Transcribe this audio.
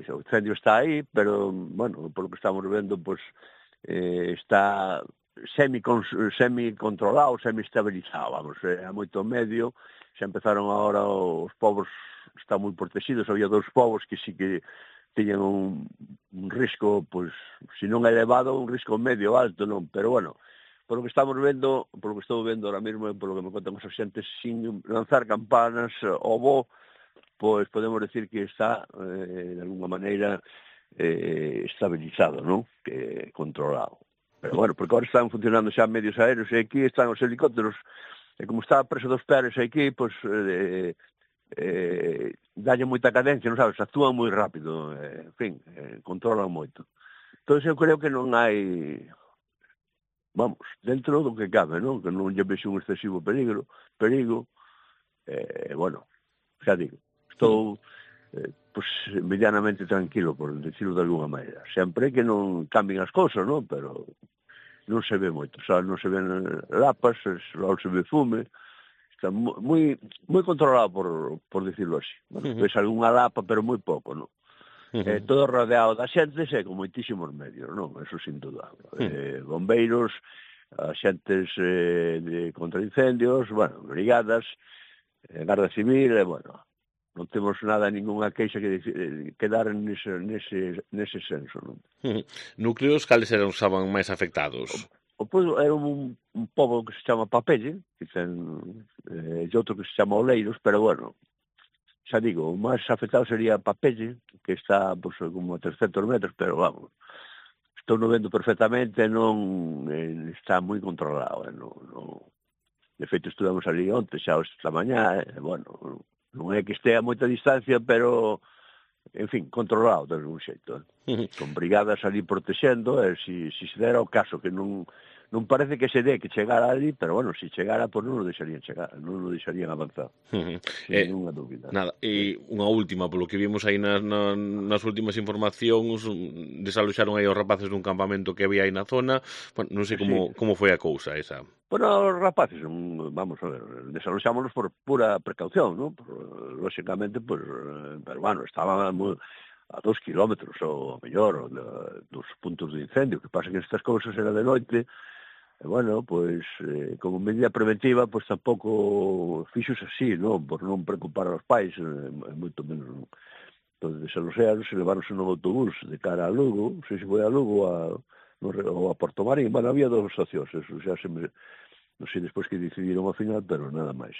o incendio está aí, pero, bueno, polo que estamos vendo, pois, está semi-controlado, semi-estabilizado, vamos, a moito medio, xa empezaron agora os povos, están moi protegidos, había 2 povos que sí que tiñan un risco, pois, se non elevado, un risco medio alto, non, pero, bueno, polo que estamos vendo, polo que estou vendo ahora mesmo, polo que me contan os xentes, sin lanzar campanas ao bo, pois podemos decir que está, de alguma maneira, estabilizado, non? Que controlado. Pero, bueno, porque agora están funcionando xa medios aéreos e aquí están os helicópteros, e como está preso dos Pérez aquí, pois, dalle moita cadencia, non sabes, actúan moi rápido, en fin, controlan moito. Entón, eu creo que non hai, vamos, dentro do que cabe, non? Que non lle vexo un excesivo perigo, bueno, xa digo, estou pois medianamente tranquilo, por decirlo de alguna maneira. Sempre que non cambien as cousas, non? Pero non se ve moito, non se ven lapas, só se ve fume, está moi controlado, por decirlo así. Bueno, ves algunha lapa, pero moi pouco, non? Todo rodeado da xentes e con moitísimos medios, non? Eso sin duda. Bombeiros, axentes contra incendios, bueno, brigadas, Garda Civil, bueno, non temos nada, ningunha queixa que dar nese senso, non? Núcleos, cales eran os estaban máis afectados? O pobo era un pobo que se chama Papelle, que ten, e outro que se chama Oleiros, pero, bueno, xa digo, o máis afectado sería Papelle, que está, pois, como a 300 metros, pero, vamos, estou no vendo perfectamente, non está moi controlado, non. De feito, estuvemos ali onte, xa esta mañá, bueno, non é que estea a moita distancia, pero, en fin, controlado de algún xeito. Con brigadas ali protexendo, e se dera o caso que non parece que se dé que chegara ali, pero, bueno, se chegara, pois non o deixarían chegar, non o deixarían avanzar, sin ninguna dúbida. Nada, e unha última, polo que vimos aí nas últimas informacións, desaloxaron aí os rapaces dun campamento que había aí na zona, bueno, non sei como foi a cousa esa. Bueno, os rapaces, vamos a ver, desaloxámonos por pura precaución, non? Lóxicamente, pues, pero, bueno, estaban a 2 kilómetros, ou mellor, dos puntos de incendio, que pasa que estas cousas era de noite, e, bueno, pois, como medida preventiva, pois tampouco fixos así, non? Por non preocupar aos pais, moito menos, non? Entón, desaloxaron, se leváronse no autobús de cara a Lugo, non sei se foi a Lugo ou a Porto Marín, bueno, había 2 opcións, eso xa se me... Non sei despois que decidiron ao final, pero nada máis.